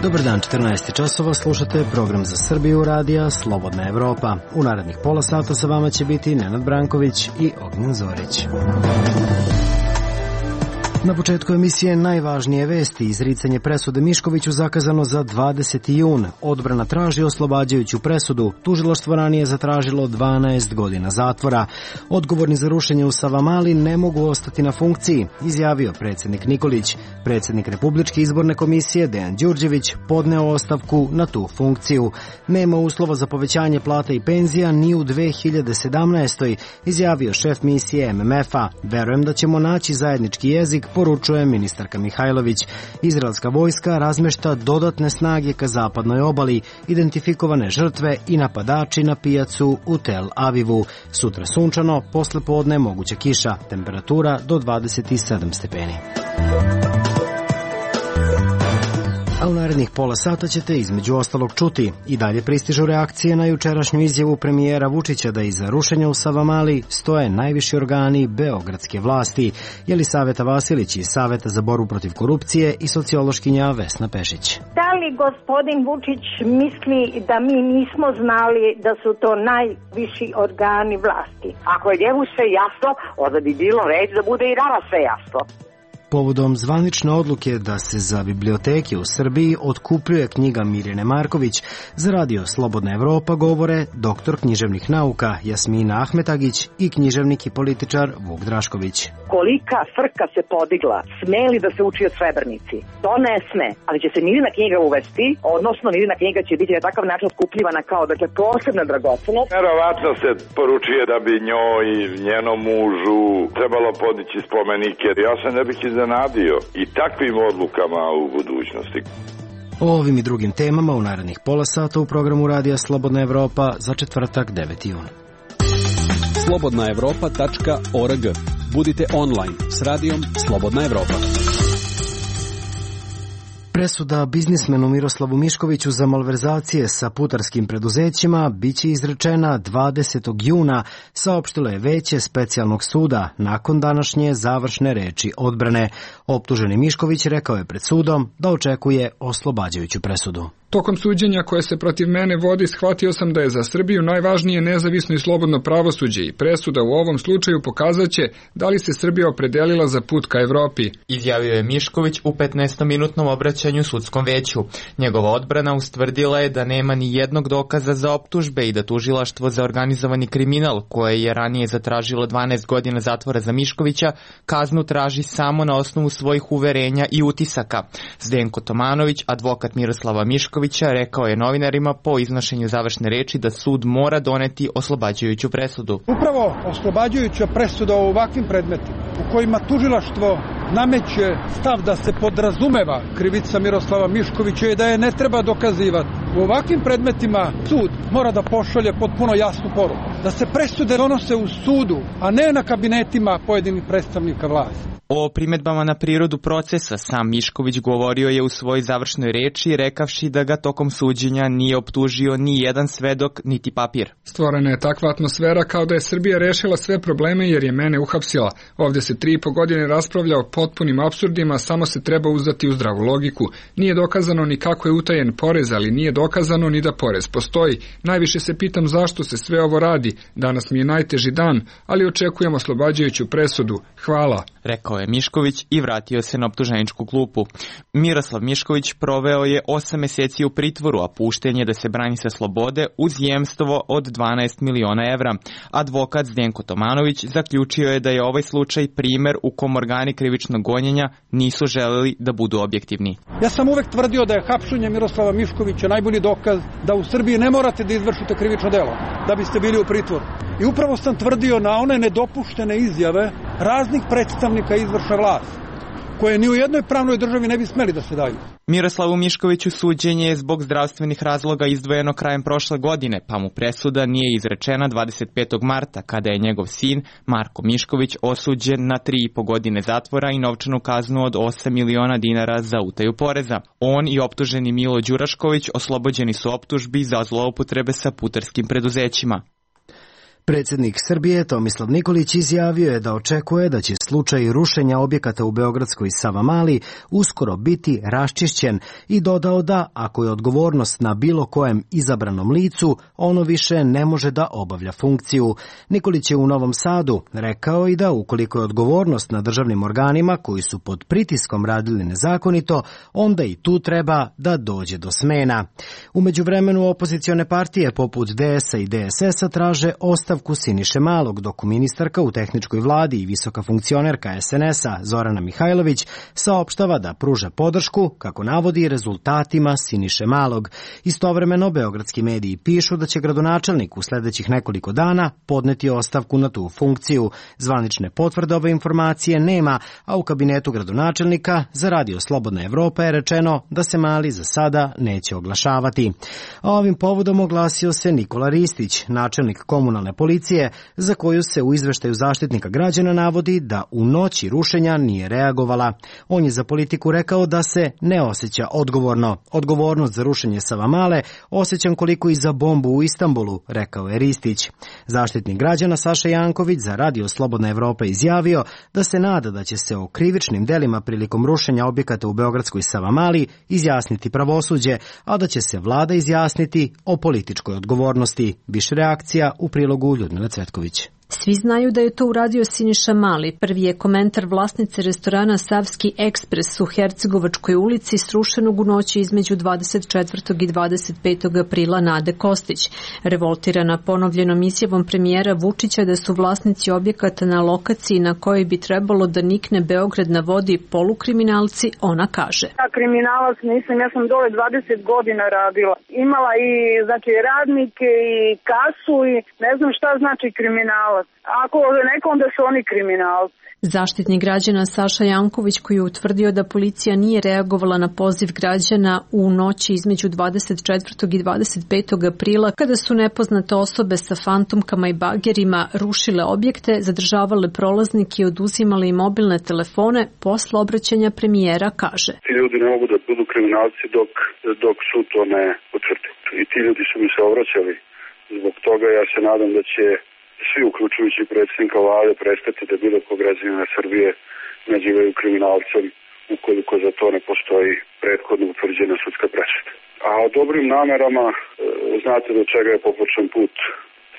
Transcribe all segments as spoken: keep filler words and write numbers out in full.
Dobar dan, četrnaest časova, slušate program za Srbiju radija Slobodna Evropa. U narednih pola sata sa vama će biti Nenad Branković i Ognjen Zorić. Na početku emisije najvažnije vesti. Izricanje presude Miškoviću zakazano za dvadeseti jun. Odbrana traži oslobađajuću presudu. Tužilaštvo ranije zatražilo dvanaest godina zatvora. Odgovorni za rušenje u Savamali ne mogu ostati na funkciji, izjavio predsjednik Nikolić. Predsjednik Republičke izborne komisije Dejan Đurđević podneo ostavku na tu funkciju. Nema uslova za povećanje plata i penzija ni u dve hiljade sedamnaestoj. izjavio šef misije em em ef-a. Verujem da ćemo naći zajednički jezik, poručuje ministarka Mihajlović. Izraelska vojska razmešta dodatne snage ka zapadnoj obali, identifikovane žrtve i napadači na pijacu u Tel Avivu. Sutra sunčano, posle podne moguća kiša, temperatura do dvadeset sedam stepeni. A u narednih pola sata ćete između ostalog čuti. I dalje pristižu reakcije na jučerašnju izjavu premijera Vučića da iza rušenja u Savamali stoje najviši organi beogradske vlasti. Jelisaveta Vasilić iz Saveta za borbu protiv korupcije i sociološkinja Vesna Pešić. Da li gospodin Vučić misli da mi nismo znali da su to najviši organi vlasti? Ako je njemu sve jasno, onda bi bilo red da bude i nama sve jasno. Povodom zvanične odluke da se za biblioteke u Srbiji otkupljuje knjiga Mirjane Marković, za radio Slobodna Evropa govore doktor književnih nauka Jasmina Ahmetagić i književnik i političar Vuk Drašković. Kolika frka se podigla, sme li da se uči o Srebrenici? To ne sme, ali će se Mirjana knjiga uvesti, odnosno Mirjana knjiga će biti na takav način otkupljivana kao dakle posebna dragocenost. Verovatno se poručuje da bi njoj i njenom mužu trebalo podići spomenike. Ja se ne bih iznenadio i takvim odlukama u budućnosti. O ovim i drugim temama u narednih pola sata u programu radija Slobodna Evropa za četvrtak deveti jun. slobodna evropa tačka org. Budite online s radijom Slobodna Evropa. Presuda biznismenu Miroslavu Miškoviću za malverzacije sa putarskim preduzećima biće izrečena dvadesetog juna, saopštilo je veće specijalnog suda nakon današnje završne reči odbrane. Optuženi Mišković rekao je pred sudom da očekuje oslobađajuću presudu. Tokom suđenja koje se protiv mene vodi, shvatio sam da je za Srbiju najvažnije nezavisno i slobodno pravosuđe i presuda u ovom slučaju pokazaće da li se Srbija opredelila za put ka Evropi. Izjavio je Mišković u petnaestominutnom obraćanju sudskom veću. Njegova odbrana ustvrdila je da nema ni jednog dokaza za optužbe i da tužilaštvo za organizovani kriminal, koje je ranije zatražilo dvanaest godina zatvora za Miškovića, kaznu traži samo na osnovu svojih uverenja i utisaka. Zdenko Tomanović, advokat Miroslava Miškovića, rekao je novinarima po iznošenju završne reči da sud mora doneti oslobađajuću presudu. Upravo oslobađajuća presuda u ovakvim predmetima u kojima tužilaštvo nameće stav da se podrazumeva krivica Miroslava Miškovića i da je ne treba dokazivati. U ovakvim predmetima sud mora da pošalje potpuno jasnu poruku. Da se presude donose u sudu, a ne na kabinetima pojedinih predstavnika vlasti. O primedbama na prirodu procesa sam Mišković govorio je u svojoj završnoj reči, rekavši da ga tokom suđenja nije optužio ni jedan svedok, niti papir. Stvorena je takva atmosfera kao da je Srbija rešila sve probleme jer je mene uhapsila. Ovdje se tri i po godine raspravlja o potpunim apsurdima, samo se treba uzdati u zdravu logiku. Nije dokazano ni kako je utajen porez, ali nije dokazano ni da porez postoji. Najviše se pitam zašto se sve ovo radi. Danas mi je najteži dan, ali očekujem oslobađajuću presudu. Hvala. Rekao je Mišković i vratio se na optuženičku klupu. Miroslav Mišković proveo je osam meseci u pritvoru, a pušten je da se brani sa slobode uz jemstvo od dvanaest miliona evra. Advokat Zdenko Tomanović zaključio je da je ovaj slučaj primer u kom organi krivičnog gonjenja nisu želeli da budu objektivni. Ja sam uvek tvrdio da je hapšenje Miroslava Miškovića najbolji dokaz da u Srbiji ne morate da izvršite krivično delo da biste bili u pritvoru. I upravo sam tvrdio na one nedopuštene izjave raznih predstavnika izvršne vlasti, koje ni u jednoj pravnoj državi ne bi smeli da se daju. Miroslavu Miškoviću suđenje je zbog zdravstvenih razloga izdvojeno krajem prošle godine, pa mu presuda nije izrečena dvadeset petog marta, kada je njegov sin, Marko Mišković, osuđen na tri i po godine zatvora i novčanu kaznu od osam miliona dinara za utaju poreza. On i optuženi Milo Đurašković oslobođeni su optužbi za zloupotrebe sa putarskim preduzećima. Predsjednik Srbije Tomislav Nikolić izjavio je da očekuje da će slučaj rušenja objekata u beogradskoj Savamali uskoro biti raščišćen i dodao da, ako je odgovornost na bilo kojem izabranom licu, ono više ne može da obavlja funkciju. Nikolić je u Novom Sadu rekao i da ukoliko je odgovornost na državnim organima koji su pod pritiskom radili nezakonito, onda i tu treba da dođe do smena. U međuvremenu opozicione partije poput D S A i D S S-a traže ostavku Siniše Malog, dok ministarka u tehničkoj vladi i visoka funkcionerka S N S-a Zorana Mihajlović saopštava da pruža podršku, kako navodi, rezultatima Siniše Malog. Istovremeno, beogradski mediji pišu da će gradonačelnik u sledećih nekoliko dana podneti ostavku na tu funkciju. Zvanične potvrde ove informacije nema, a u kabinetu gradonačelnika za Radio Slobodna Evropa je rečeno da se Mali za sada neće oglašavati. A ovim povodom oglasio se Nikola Ristić, načelnik komunalne policije, za koju se u izveštaju Zaštitnika građana navodi da u noći rušenja nije reagovala. On je za Politiku rekao da se ne osjeća odgovorno. Odgovornost za rušenje Savamale osjećam koliko i za bombu u Istanbulu, rekao je Ristić. Zaštitnik građana Saša Janković za Radio Slobodna Evropa izjavio da se nada da će se o krivičnim delima prilikom rušenja objekata u beogradskoj Savamali izjasniti pravosuđe, a da će se vlada izjasniti o političkoj odgovornosti. Više reakcija u prilogu Ljudmile Cvetković. Svi znaju da je to uradio Siniša Mali. Prvi je komentar vlasnice restorana Savski ekspres u Hercegovačkoj ulici srušenog u noći između dvadeset četvrtog i dvadeset petog aprila Nade Kostić. Revoltirana ponovljenom izjavom premijera Vučića da su vlasnici objekata na lokaciji na kojoj bi trebalo da nikne Beograd na vodi polukriminalci, ona kaže. Ja kriminalac nisam, ja sam dole dvadeset godina radila. Imala i znači radnike i kasu i ne znam šta znači kriminalac. Ako nekom da su oni kriminalci. Zaštitnik građana Saša Janković, koji je utvrdio da policija nije reagovala na poziv građana u noći između dvadeset četvrtog i dvadeset petog aprila, kada su nepoznate osobe sa fantomkama i bagerima rušile objekte, zadržavale prolaznike i oduzimale im mobilne telefone, posle obraćanja premijera kaže. Ti ljudi ne mogu da budu kriminalci dok, dok sud to ne utvrdi. I ti ljudi su mi se obraćali. Zbog toga ja se nadam da će svi, uključujući predsjednika vlade, prestati da bilo kog građanina Srbije nazivaju kriminalcem ukoliko za to ne postoji prethodno utvrđena sudska presuda. A o dobrim namerama, znate do čega je popočan put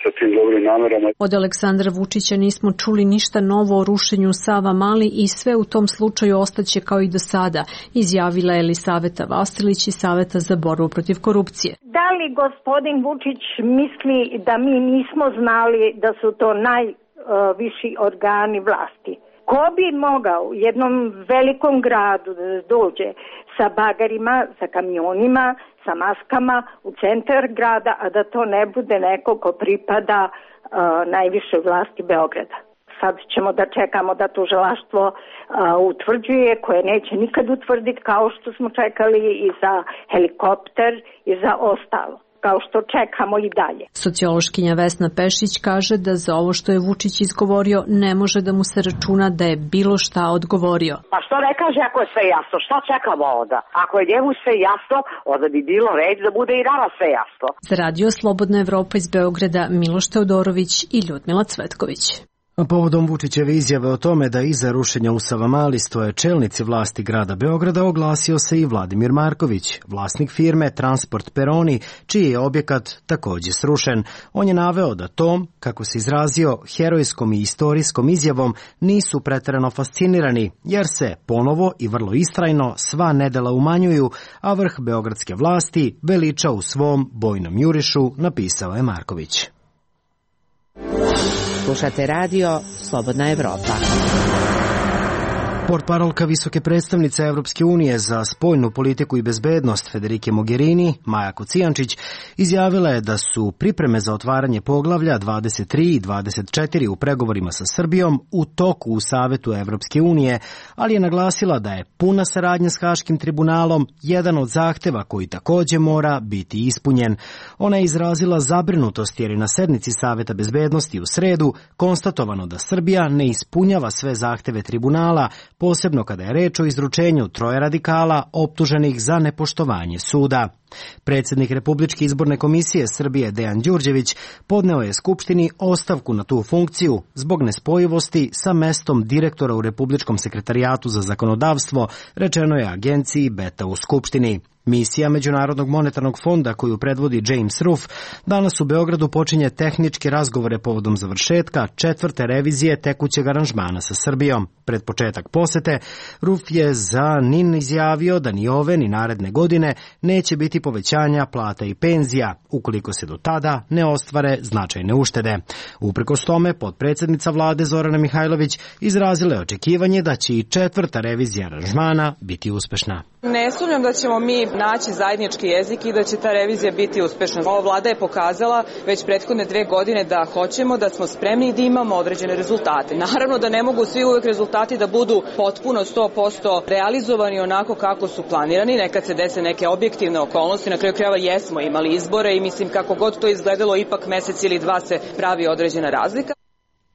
sa tim dobrim namerama. Od Aleksandra Vučića nismo čuli ništa novo o rušenju Savamali i sve u tom slučaju ostaće kao i do sada, izjavila je Elisaveta Vasilić iz Saveta za borbu protiv korupcije. Da li gospodin Vučić misli da mi nismo znali da su to najviši organi vlasti? Ko bi mogao u jednom velikom gradu da dođe sa bagarima, sa kamionima, sa maskama u centar grada, a da to ne bude neko ko pripada uh, najvišoj vlasti Beograda? Sad ćemo da čekamo da tužilaštvo uh, utvrđuje, koje neće nikad utvrditi, kao što smo čekali i za helikopter i za ostalo, kao što čekamo i dalje. Sociološkinja Vesna Pešić kaže da za ovo što je Vučić izgovorio ne može da mu se računa da je bilo šta odgovorio. Pa što ne kaže ako je sve jasno? Šta čekamo onda? Ako je njemu sve jasno, onda bi bilo red da bude i nama sve jasno. Za Radio Slobodna Evropa iz Beograda Miloš Teodorović i Ljudmila Cvetković. A povodom Vučićeve izjave o tome da iza rušenja u Savamali stoje čelnici vlasti grada Beograda oglasio se i Vladimir Marković, vlasnik firme Transport Peroni, čiji je objekat takođe srušen. On je naveo da tom, kako se izrazio, herojskom i istorijskom izjavom nisu preterano fascinirani, jer se ponovo i vrlo istrajno sva nedela umanjuju, a vrh beogradske vlasti veliča u svom bojnom jurišu, napisao je Marković. Slušate radio Slobodna Evropa. Portparolka visoke predstavnice Evropske unije za spoljnu politiku i bezbednost Federike Mogherini, Maja Kocijančić, izjavila je da su pripreme za otvaranje poglavlja dvadeset tri i dvadeset četiri u pregovorima sa Srbijom u toku u Savetu Evropske unije, ali je naglasila da je puna saradnja s Haškim tribunalom jedan od zahteva koji takođe mora biti ispunjen. Ona je izrazila zabrinutost jer je na sednici Saveta bezbednosti u sredu konstatovano da Srbija ne ispunjava sve zahteve tribunala, posebno kada je reč o izručenju troje radikala optuženih za nepoštovanje suda. Predsjednik Republičke izborne komisije Srbije Dejan Đurđević podneo je Skupštini ostavku na tu funkciju zbog nespojivosti sa mestom direktora u Republičkom sekretarijatu za zakonodavstvo, rečeno je agenciji Beta u Skupštini. Misija Međunarodnog monetarnog fonda koju predvodi James Ruff danas u Beogradu počinje tehničke razgovore povodom završetka četvrte revizije tekućeg aranžmana sa Srbijom. Pred početak posete, Ruff je za N I N izjavio da ni ove ni naredne godine neće biti povećanja plata i penzija, ukoliko se do tada ne ostvare značajne uštede. Uprkos tome, potpredsjednica vlade Zorana Mihajlović izrazila je očekivanje da će i četvrta revizija aranžmana biti uspešna. Ne sumnjam da ćemo mi naći zajednički jezik i da će ta revizija biti uspešna. Ova vlada je pokazala već prethodne dve godine da hoćemo, da smo spremni i da imamo određene rezultate. Naravno da ne mogu svi uvek rezultati da budu potpuno sto posto realizovani onako kako su planirani. Nekad se dese neke objektivne okolnosti, na kraju krajeva jesmo imali izbore i mislim kako god to izgledalo, ipak mesec ili dva se pravi određena razlika.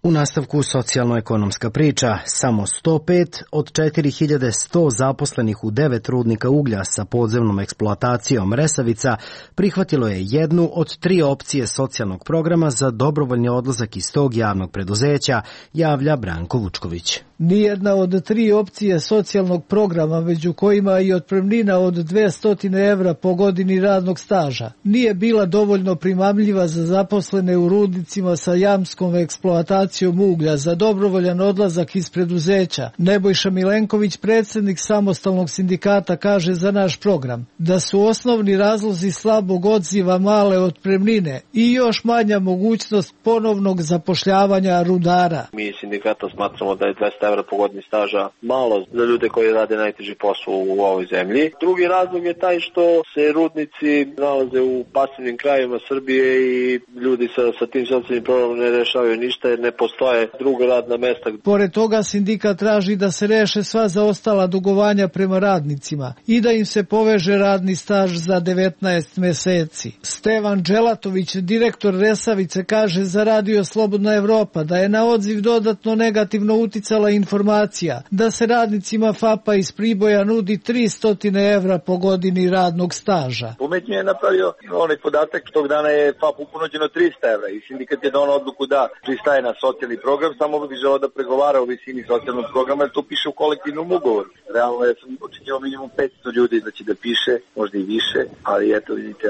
U nastavku socijalno-ekonomska priča, samo sto pet od četiri hiljade sto zaposlenih u devet rudnika uglja sa podzemnom eksploatacijom Resavica prihvatilo je jednu od tri opcije socijalnog programa za dobrovoljni odlazak iz tog javnog preduzeća, javlja Branko Vučković. Nijedna od tri opcije socijalnog programa, među kojima i otpremnina od dvesta evra po godini radnog staža, nije bila dovoljno primamljiva za zaposlene u rudnicima sa jamskom eksploatacijom uglja za dobrovoljan odlazak iz preduzeća. Nebojša Milenković, predsjednik samostalnog sindikata, kaže za naš program da su osnovni razlozi slabog odziva male otpremnine i još manja mogućnost ponovnog zapošljavanja rudara. Mi sindikata smatramo da je dvesta evra po godini staža malo za ljude koji rade najteži posao u ovoj zemlji. Drugi razlog je taj što se rudnici nalaze u pasivnim krajevima Srbije i ljudi sa, sa tim socijalnim problemom ne rešavaju ništa jer ne postoje druga radna mesta. Pored toga sindikat traži da se reše sva zaostala dugovanja prema radnicima i da im se poveže radni staž za devetnaest meseci. Stevan Dželatović, direktor Resavice, kaže za Radio Slobodna Evropa da je na odziv dodatno negativno uticala informacija da se radnicima FAP-a iz Priboja nudi tristo evra po godini radnog staža. Umetnje je napravio onaj podatak, tog dana je FAP-u ponuđeno trista evra i sindikat je donao odluku da pristaje na socijalni program, samo bi želeo da pregovara o visini socijalnog programa, jer to piše u kolektivnom ugovoru. Realno ja sam očekivao minimum petsto ljudi da će da piše, možda i više, ali eto vidite,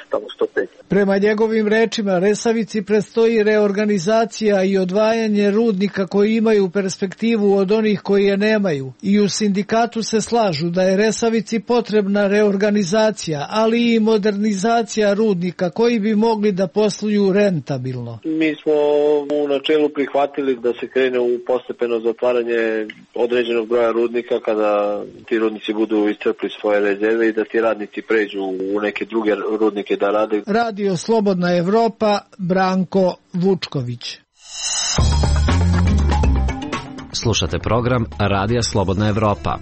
tamo sto pet. Prema njegovim rečima, Resavici predstoji reorganizacija i odvajanje rudnika koji imaju perspektivu od onih koji je nemaju. I u sindikatu se slažu da je Resavici potrebna reorganizacija, ali i modernizacija rudnika koji bi mogli da posluju rentabilno. Mi smo u načelu prihvatili da se krene u postepeno zatvaranje određenog broja rudnika kada ti rudnici budu iscrpli svoje rezerve i da ti radnici pređu u neke druge rudnike da rade. Radio Slobodna Evropa, Branko Vučković. Slušate program Radija Slobodna Evropa.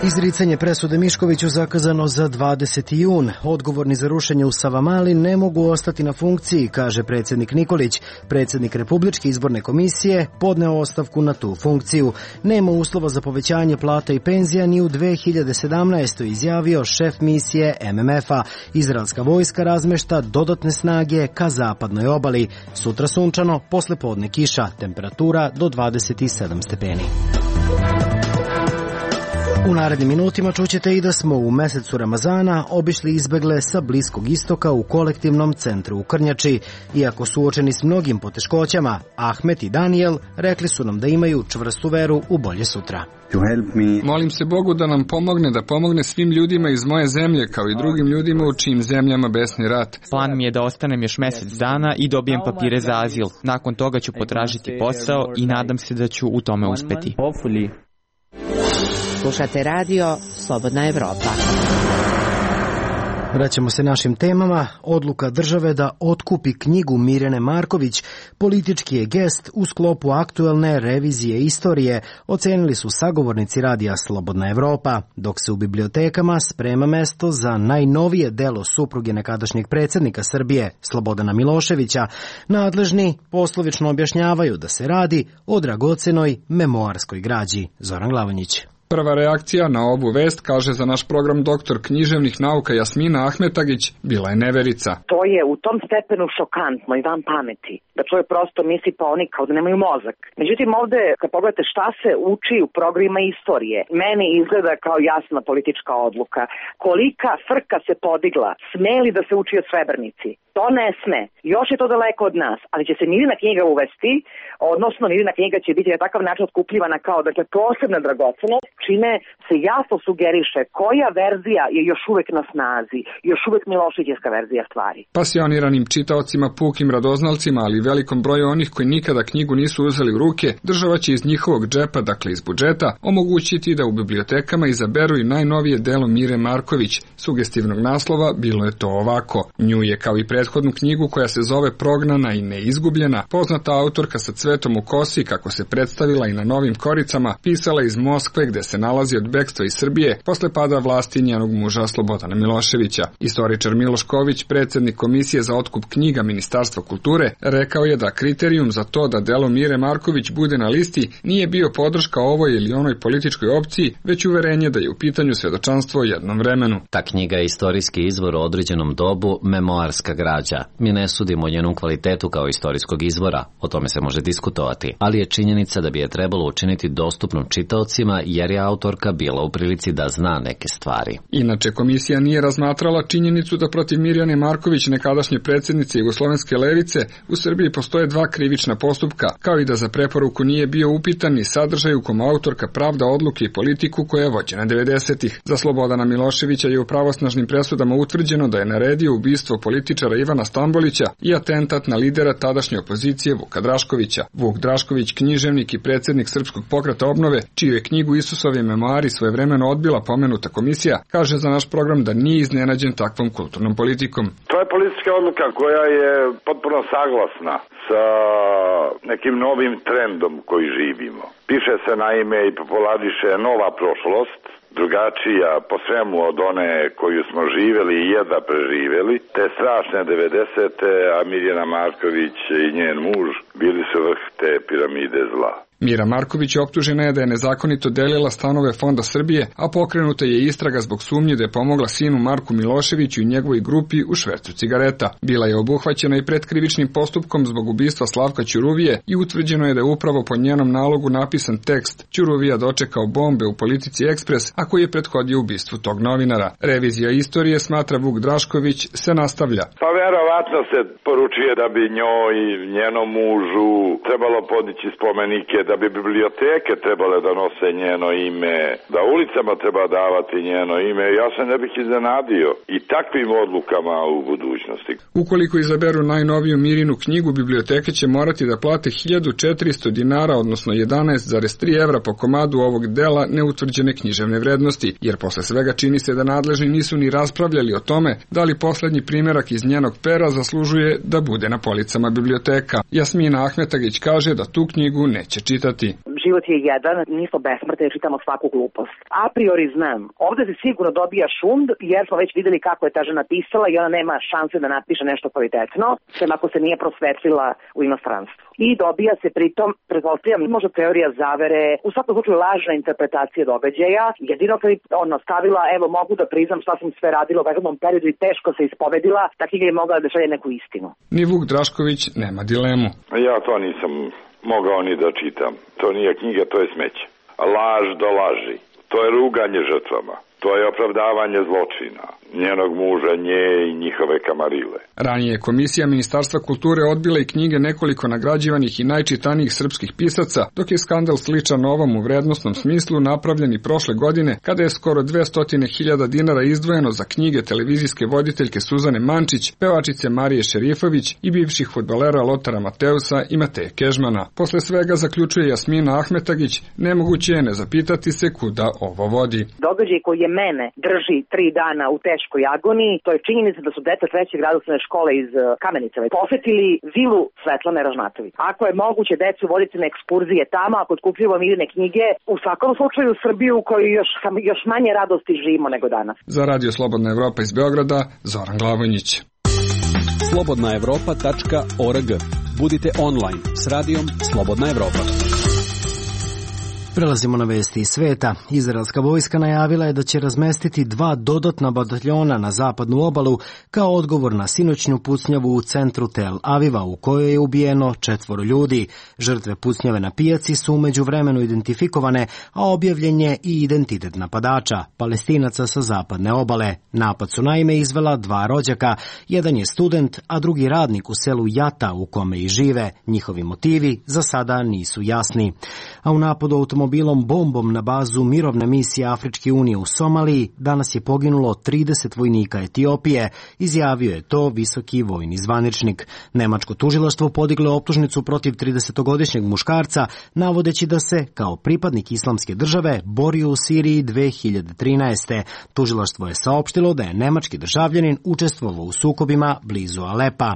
Izricanje presude Miškoviću zakazano za dvadeseti jun. Odgovorni za rušenje u Savamali ne mogu ostati na funkciji, kaže predsjednik Nikolić. Predsjednik Republičke izborne komisije podneo ostavku na tu funkciju. Nema uslova za povećanje plata i penzija ni u dve hiljade sedamnaestoj. izjavio šef misije M M F-a. Izraelska vojska razmešta dodatne snage ka zapadnoj obali. Sutra sunčano, posle podne kiša, temperatura do dvadeset sedam stepeni. U narednim minutima čućete i da smo u mesecu Ramazana obišli izbegle sa Bliskog istoka u kolektivnom centru u Krnjači. Iako suočeni s mnogim poteškoćama, Ahmet i Daniel rekli su nam da imaju čvrstu veru u bolje sutra. Molim se Bogu da nam pomogne, da pomogne svim ljudima iz moje zemlje, kao i drugim ljudima u čijim zemljama besni rat. Plan mi je da ostanem još mjesec dana i dobijem papire za azil. Nakon toga ću potražiti posao i nadam se da ću u tome uspeti. Slušate radio Slobodna Evropa. Vraćamo se našim temama. Odluka države da otkupi knjigu Mirjane Marković politički je gest u sklopu aktuelne revizije istorije, ocenili su sagovornici radija Slobodna Evropa, dok se u bibliotekama sprema mesto za najnovije delo supruge nekadašnjeg predsjednika Srbije, Slobodana Miloševića. Nadležni poslovično objašnjavaju da se radi o dragocenoj memoarskoj građi. Zoran Glavonjić. Prva reakcija na ovu vest, kaže za naš program doktor književnih nauka Jasmina Ahmetagić, bila je neverica. To je u tom stepenu šokantno i van pameti, da čovjek prosto misli pa oni kao da nemaju mozak. Međutim, ovde, kad pogledate šta se uči u programima istorije, meni izgleda kao jasna politička odluka. Kolika frka se podigla, smeli da se uči o Srebrnici? To ne sme. Još je to daleko od nas, ali će se Mirjana knjiga uvesti, odnosno Mirjana knjiga će biti na takav način otkupljivana kao dakle, posebna dragocenost, čime se jasno sugeriše koja verzija je još uvek na snazi, još uvek Miloševićevska verzija stvari. Pasioniranim čitaocima, pukim radoznalcima, ali velikom broju onih koji nikada knjigu nisu uzeli u ruke, država će iz njihovog džepa, dakle iz budžeta, omogućiti da u bibliotekama izaberu i najnovije delo Mire Marković. Sugestivnog naslova bilo je to ovako. Nju je kao i prethodnu knjigu koja se zove Prognana i neizgubljena, poznata autorka sa cvetom u kosi, kako se predstavila i na Novim Koricama, pisala iz Moskve gde se nalazi od bekstva iz Srbije posle pada vlasti njenog muža Slobodana Miloševića. Istoričar Miloš Ković, predsjednik Komisije za otkup knjiga Ministarstva kulture, rekao je da kriterijum za to da delo Mire Marković bude na listi nije bio podrška ovoj ili onoj političkoj opciji, već uverenje da je u pitanju svedočanstvo o jednom vremenu. Ta knjiga je istorijski izvor o određenom dobu, memoarska građa. Mi ne sudimo o njenom kvalitetu kao istorijskog izvora, o tome se može diskutovati, ali je činjenica da bi je trebalo učiniti dostupnom čitaocima jer je autorka bila u prilici da zna neke stvari. Inače, komisija nije razmatrala činjenicu da protiv Mirjane Marković, nekadašnje predsjednice Jugoslovenske levice, u Srbiji postoje dva krivična postupka, kao i da za preporuku nije bio upitan ni sadržaj u kom autorka pravda odluke i politiku koja je vođena devedesetih. Za Slobodana Miloševića je u pravosnažnim presudama utvrđeno da je naredio ubistvo političara Ivana Stambolića i atentat na lidera tadašnje opozicije Vuka Draškovića. Vuk Drašković, književnik i predsjednik Srpskog pokreta obnove, čiju je knjigu Isusovi memoari svojevremeno odbila pomenuta komisija, kaže za naš program da nije iznenađen takvom kulturnom politikom. To je politička odluka koja je potpuno saglasna sa nekim novim trendom koji živimo. Piše se naime i populariše nova prošlost, drugačija po svemu od one koju smo živjeli i jedva preživjeli, te strašne devedesete, a Mirjana Marković i njen muž bili su vrh te piramide zla. Mira Marković optužena je da je nezakonito delila stanove Fonda Srbije, a pokrenuta je istraga zbog sumnje da je pomogla sinu Marku Miloševiću i njegovoj grupi u švercu cigareta. Bila je obuhvaćena i pretkrivičnim postupkom zbog ubistva Slavka Ćuruvije i utvrđeno je da je upravo po njenom nalogu napisan tekst Ćuruvija dočekao bombe u Politici Ekspres, a koji je prethodio ubistvu tog novinara. Revizija istorije, smatra Vuk Drašković, se nastavlja. Pa verovatno se poručuje da bi njoj i njenom mužu trebalo podići spomenike, da bi biblioteke trebale da nose njeno ime, da ulicama treba davati njeno ime. Ja se ne bih iznenadio i takvim odlukama u budućnosti. Ukoliko izaberu najnoviju Mirinu knjigu, biblioteke će morati da plate hiljadu četiristo dinara, odnosno jedanaest zarez tri evra po komadu ovog dela neutvrđene književne vrednosti, jer posle svega čini se da nadležni nisu ni raspravljali o tome da li poslednji primerak iz njenog pera zaslužuje da bude na policama biblioteka. Jasmina Ahmetagić kaže da tu knjigu neće čitati. Život je jedan, nismo besmrtni, jer čitamo svaku glupost. A priori znam, ovde se sigurno dobija šund, jer smo već videli kako je ta žena pisala i ona nema šanse da napiše nešto kvalitetno, sem ako se nije prosvetlila u inostranstvu. I dobija se pritom, pretpostavljam, možda teorija zavere, u svakom slučaju lažna interpretacija događaja, jedino kad je ona stavila, evo mogu da priznam šta sam sve radila u prethodnom periodu i teško se ispovedila, ta knjiga je mogla da šalje neku istinu. Ni Vuk Drašković nema dilemu. Ja to nisam mogao ni da čitam. To nije knjiga, to je smeće. Laž do laži. To je ruganje žrtvama. To je opravdavanje zločina, njenog muža, nje i njihove kamarile. Ranije je Komisija Ministarstva kulture odbila i knjige nekoliko nagrađivanih i najčitanijih srpskih pisaca, dok je skandal sličan ovom u vrednostnom smislu napravljen i prošle godine, kada je skoro dvesta hiljada dinara izdvojeno za knjige televizijske voditeljke Suzane Mančić, pevačice Marije Šerifović i bivših fudbalera Lotara Mateusa i Mateje Kežmana. Posle svega, zaključuje Jasmina Ahmetagić, nemoguće je ne zapitati se kuda ovo vodi. Događaj koji je mene drži tri dana u teškoj agoniji, to je činjenica da su deca trećeg grada osnovne škole iz Kamenica posetili vilu Svetlane Ražnatović. Ako je moguće decu voditi na ekskurzije tamo, ako otkupljujemo miljene knjige, u svakom slučaju Srbiju u kojoj još, još manje radosti živimo nego danas. Za Radio Slobodna Evropa iz Beograda, Zoran Glavonjić. slobodna evropa tačka org. Budite online s radijom Slobodna Evropa. Prelazimo na vesti iz sveta. Izraelska vojska najavila je da će razmestiti dva dodatna bataljona na zapadnu obalu kao odgovor na sinoćnju pucnjavu u centru Tel Aviva u kojoj je ubijeno četvoro ljudi. Žrtve pucnjave na pijaci su umeđu vremenu identifikovane, a objavljen je i identitet napadača, Palestinaca sa zapadne obale. Napad su naime izvela dva rođaka, jedan je student, a drugi radnik u selu Jata u kome i žive. Njihovi motivi za sada nisu jasni. A u napadu automobilom bombom na bazu mirovne misije Afričke unije u Somaliji danas je poginulo trideset vojnika Etiopije, izjavio je to visoki vojni zvaničnik. Nemačko tužilaštvo podiglo optužnicu protiv tridesetogodišnjeg muškarca, navodeći da se, kao pripadnik islamske države, borio u Siriji dve hiljade trinaeste. Tužilaštvo je saopštilo da je nemački državljanin učestvovao u sukobima blizu Alepa.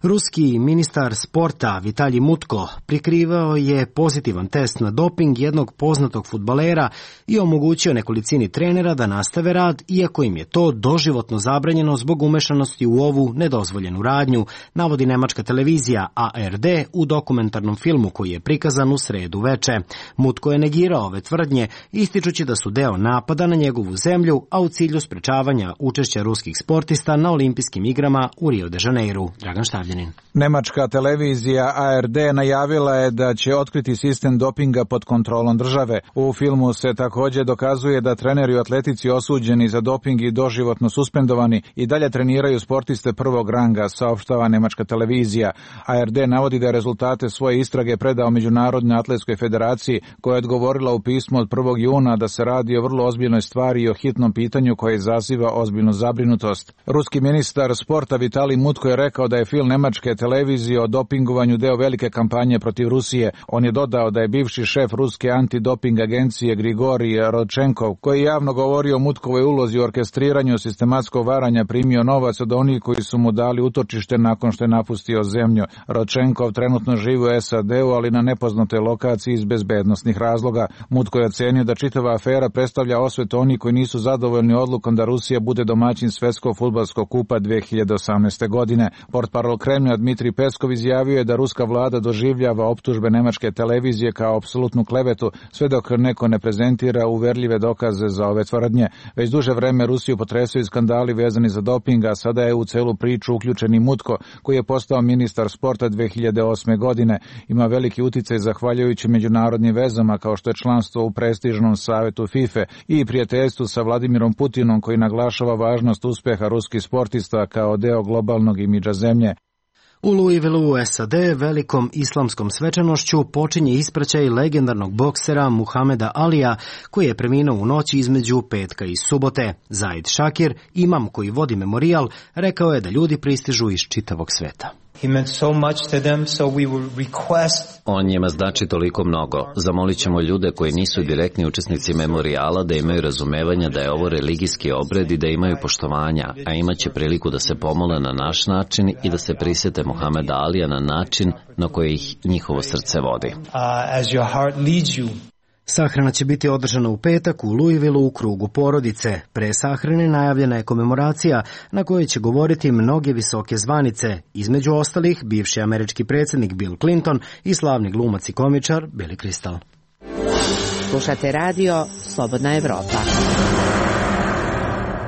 Ruski ministar sporta Vitalij Mutko prikrivao je pozitivan test na doping jednog poznatog fudbalera i omogućio nekolicini trenera da nastave rad, iako im je to doživotno zabranjeno zbog umešanosti u ovu nedozvoljenu radnju, navodi nemačka televizija A R D u dokumentarnom filmu koji je prikazan u sredu veče. Mutko je negirao ove tvrdnje, ističući da su deo napada na njegovu zemlju, a u cilju sprečavanja učešća ruskih sportista na olimpijskim igrama u Rio de Janeiru. Dragan Štavljanin. Nemačka televizija A R D najavila je da će otkriti sistem dopinga pod kontrolom države. U filmu se također dokazuje da treneri u atletici osuđeni za doping i doživotno suspendovani i dalje treniraju sportiste prvog ranga, saopštava nemačka televizija. A R D navodi da je rezultate svoje istrage predao Međunarodnoj atletskoj federaciji, koja je odgovorila u pismu od prvog juna da se radi o vrlo ozbiljnoj stvari i o hitnom pitanju koje izaziva ozbiljnu zabrinutost. Ruski ministar sporta Vitalij Mutko je rekao da je film nemačke televizije o dopingovanju deo velike kampanje protiv Rusije. On je dodao da je bivši šef ruske antidoping agencije Grigorij Rodčenkov, koji je javno govorio o Mutkovoj ulozi u orkestriranju sistematskog varanja, primio novac od onih koji su mu dali utočište nakon što je napustio zemlju. Rodčenkov trenutno živi u S A D-u, ali na nepoznatoj lokaciji iz bezbednosnih razloga. Mutko je ocenio da čitava afera predstavlja osvetu onih koji nisu zadovoljni odlukom da Rusija bude domaćin svetskog fudbalskog kupa dve hiljade osamnaeste. godine. Portparol Kremlja Dmitrij Peskov izjavio je da ruska vlada doživljava optužbe nemačke televizije kao apsolutnu klevetu, sve dok neko ne prezentira uverljive dokaze za ove tvrdnje. Već duže vreme Rusiju potresaju skandali vezani za doping, a sada je u celu priču uključen i Mutko, koji je postao ministar sporta dve hiljade osme. godine. Ima veliki uticaj zahvaljujući međunarodnim vezama, kao što je članstvo u prestižnom savetu FIFA i prijateljstvu sa Vladimirom Putinom, koji naglašava važnost uspeha ruskih sportista kao deo globalnog imidža zemlje. U Louisvilleu u S A D velikom islamskom svečanošću počinje ispraćaj legendarnog boksera Muhameda Alija, koji je preminuo u noći između petka i subote. Zaid Šakir, imam koji vodi memorijal, rekao je da ljudi pristižu iz čitavog sveta. On njima znači toliko mnogo. Zamolit ćemo ljude koji nisu direktni učesnici memorijala da imaju razumevanja da je ovo religijski obred i da imaju poštovanja, a imaće priliku da se pomole na naš način i da se prisete Muhameda Alija na način na koji ih njihovo srce vodi. Sahrana će biti održana u petak u Louisvilleu u krugu porodice. Pre sahrane najavljena je komemoracija na kojoj će govoriti mnoge visoke zvanice, između ostalih bivši američki predsjednik Bill Clinton i slavni glumac i komičar Billy Crystal. Slušate radio Slobodna Evropa.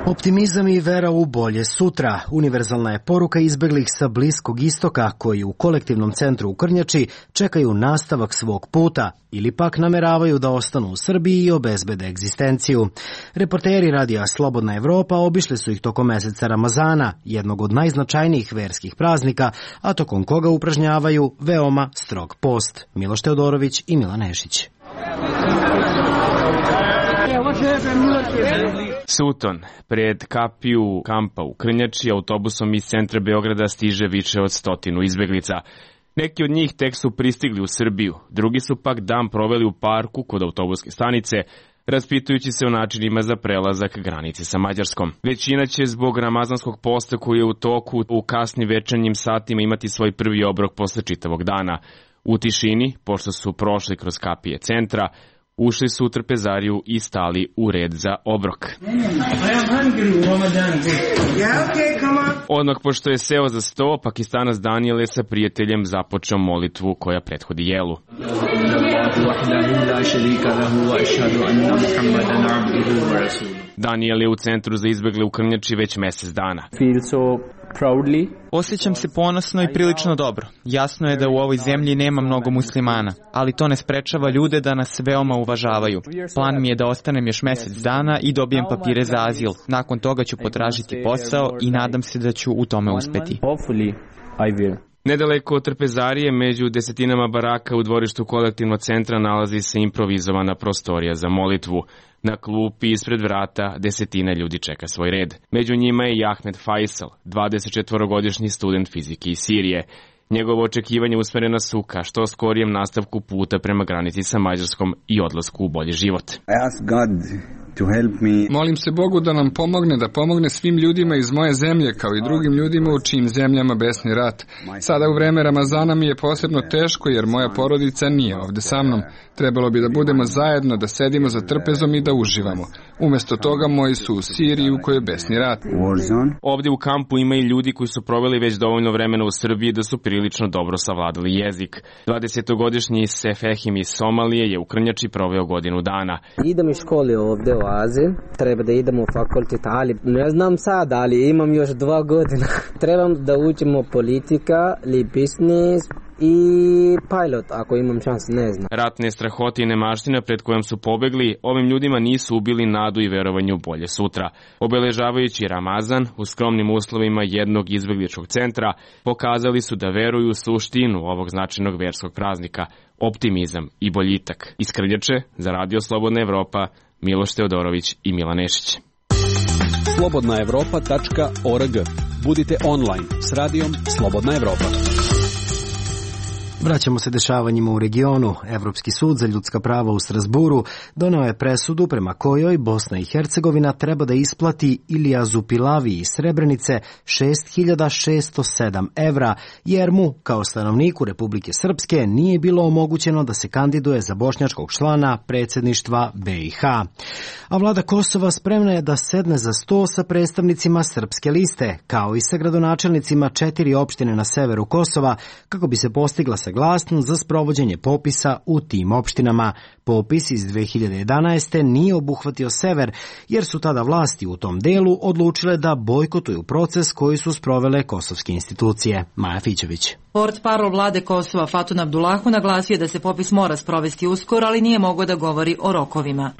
Optimizam i vera u bolje sutra. Univerzalna je poruka izbeglih sa Bliskog istoka koji u kolektivnom centru u Krnjači čekaju nastavak svog puta ili pak nameravaju da ostanu u Srbiji i obezbede egzistenciju. Reporteri radija Slobodna Evropa obišli su ih tokom meseca Ramazana, jednog od najznačajnijih verskih praznika, a tokom koga upražnjavaju veoma strog post. Miloš Teodorović i Milan Nešić. Suton, pred kapiju kampa u Krnjači, autobusom iz centra Beograda stiže više od stotinu izbeglica. Neki od njih tek su pristigli u Srbiju, drugi su pak dan proveli u parku kod autobuske stanice, raspitujući se o načinima za prelazak granice sa Mađarskom. Većina će zbog ramazanskog posta koji je u toku u kasnim večernjim satima imati svoj prvi obrok posle čitavog dana. U tišini, pošto su prošli kroz kapije centra, ušli su u trpezariju i stali u red za obrok. Odmah pošto je seo za sto, Pakistanac Daniel je sa prijateljem započeo molitvu koja prethodi jelu. Daniel je u centru za izbegle u Krnjači već mesec dana. Osjećam se ponosno i prilično dobro. Jasno je da u ovoj zemlji nema mnogo muslimana, ali to ne sprečava ljude da nas veoma uvažavaju. Plan mi je da ostanem još mesec dana i dobijem papire za azil. Nakon toga ću potražiti posao i nadam se da ću u tome uspeti. Nedaleko od trpezarije, među desetinama baraka u dvorištu kolektivnog centra nalazi se improvizovana prostorija za molitvu. Na klupi ispred vrata desetine ljudi čeka svoj red. Među njima je i Ahmed Faisal, dvadesetčetvorogodišnji student fizike iz Sirije. Njegovo očekivanje usmereno su ka što skorijem nastavku puta prema granici sa Mađarskom i odlasku u bolji život. Molim se Bogu da nam pomogne, da pomogne svim ljudima iz moje zemlje, kao i drugim ljudima u čijim zemljama besni rat. Sada u vreme Ramazana mi je posebno teško jer moja porodica nije ovde sa mnom. Trebalo bi da budemo zajedno, da sedimo za trpezom i da uživamo. Umesto toga moji su u Siriji u kojoj je besni rat. Ovde u kampu ima i ljudi koji su proveli već dovoljno vremena u Srbiji da su prilično dobro savladali jezik. dvadesetogodišnji Sefehim iz Somalije je u Krnjači proveo godinu dana. Idem iz škole ovde u Aziji, treba da idem u fakultet, ali ne znam sad, ali imam još dva godina. Trebam da učimo politika ili biznis i pilot, ako imam šans, ne znam. Ratne strahote i nemaština pred kojom su pobegli, ovim ljudima nisu ubili nadu i verovanje u bolje sutra. Obeležavajući Ramazan, u skromnim uslovima jednog izbegličkog centra, pokazali su da veruju u suštinu ovog značajnog verskog praznika, optimizam i boljitak. Iz Krnjače, za Radio Slobodna Evropa, Miloš Teodorović i Milan Nešić. slobodna evropa tačka org. Budite online s radijom Slobodna Evropa. Vraćamo se dešavanjima u regionu. Evropski sud za ljudska prava u Strasburu doneo je presudu prema kojoj Bosna i Hercegovina treba da isplati Ilijazu Pilavi iz Srebrenice šest hiljada šesto sedam evra, jer mu, kao stanovniku Republike Srpske, nije bilo omogućeno da se kandiduje za bošnjačkog člana predsjedništva B i H. A vlada Kosova spremna je da sedne za sto sa predstavnicima srpske liste, kao i sa gradonačelnicima četiri opštine na severu Kosova, kako bi se postigla saglasnost za sprovođenje popisa u tim opštinama. Popis iz dve hiljade jedanaeste. nije obuhvatio sever, jer su tada vlasti u tom delu odlučile da bojkotuju proces koji su sprovele kosovske institucije. Maja Fićević. Portparol vlade Kosova Fatun Abdulahu naglasio da se popis mora sprovesti uskoro, ali nije mogao da govori o rokovima.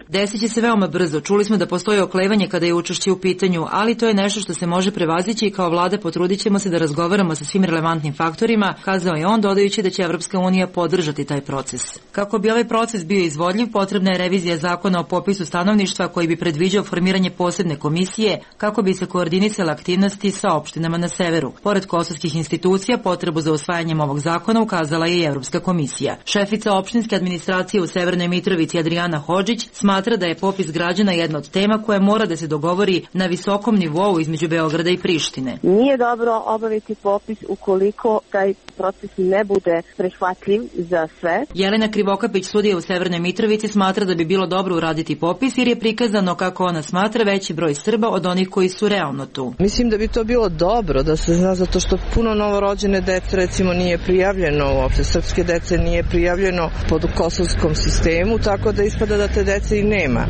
Desit će se veoma brzo. Čuli smo da postoji oklevanje kada je učešće u pitanju, ali to je nešto što se može prevazići i kao vlada potrudit ćemo se da razgovaramo sa svim relevantnim faktorima, kazao je on, dodajući da će Evropska unija podržati taj proces. Kako bi ovaj proces bio izvodljiv, potrebna je revizija zakona o popisu stanovništva koji bi predviđao formiranje posebne komisije kako bi se koordinisale aktivnosti sa opštinama na severu. Pored kosovskih institucija, potrebu za usvajanjem ovog zakona ukazala je i Evropska komisija. Šefica opštinske administracije u Severnoj Mitrovici Adriana Hodžić smatra da je popis građana jedna od tema koja mora da se dogovori na visokom nivou između Beograda i Prištine. Nije dobro obaviti popis ukoliko taj proces ne bude prihvatljiv za sve. Jelena Krivokapić, sudija u Severnoj Mitrovici, smatra da bi bilo dobro uraditi popis jer je prikazano, kako ona smatra, veći broj Srba od onih koji su realno tu. Mislim da bi to bilo dobro da se zna, zato što puno novorođene dece recimo nije prijavljeno, uopšte srpske dece nije prijavljeno pod kosovskom sistemu, tako da ispada da te dece i nema.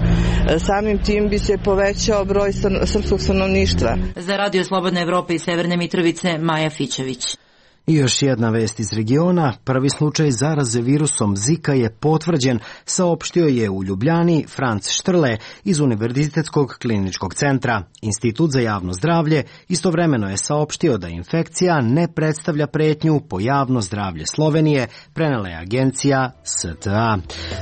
Samim tim bi se povećao broj srpskog stanovništva. Za Radio Slobodna Evropa iz Severne Mitrovice, Maja Fićević. I još jedna vest iz regiona. Prvi slučaj zaraze virusom Zika je potvrđen, saopštio je u Ljubljani Franc Štrle iz Univerzitetskog kliničkog centra. Institut za javno zdravlje istovremeno je saopštio da infekcija ne predstavlja pretnju po javno zdravlje Slovenije, prenela je agencija S T A.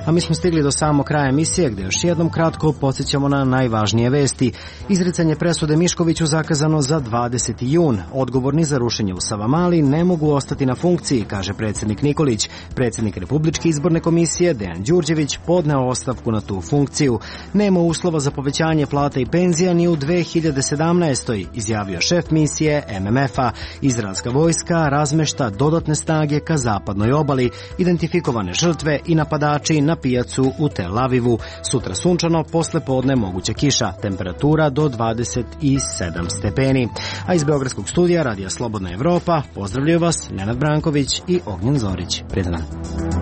A mi smo stigli do samog kraja emisije, gde još jednom kratko podsjećamo na najvažnije vesti. Izricanje presude Miškoviću zakazano za dvadeseti jun. Odgovorni za rušenje u Savamali ne mogu ostati na funkciji, kaže predsjednik Nikolić. Predsjednik Republičke izborne komisije Dejan Đurđević podneo ostavku na tu funkciju. Nema uslova za povećanje plata i penzija ni u dve hiljade sedamnaestoj. izjavio šef misije M M F-a. Izraelska vojska razmešta dodatne snage ka zapadnoj obali, identifikovane žrtve i napadači na pijacu u Tel Avivu. Sutra sunčano, posle podne moguća kiša, temperatura do dvadeset sedam stepeni. A iz Beogradskog studija Radija Slobodna Evropa pozdravljaju vas Nenad Branković i Ognjen Zorić. Prijetan dan.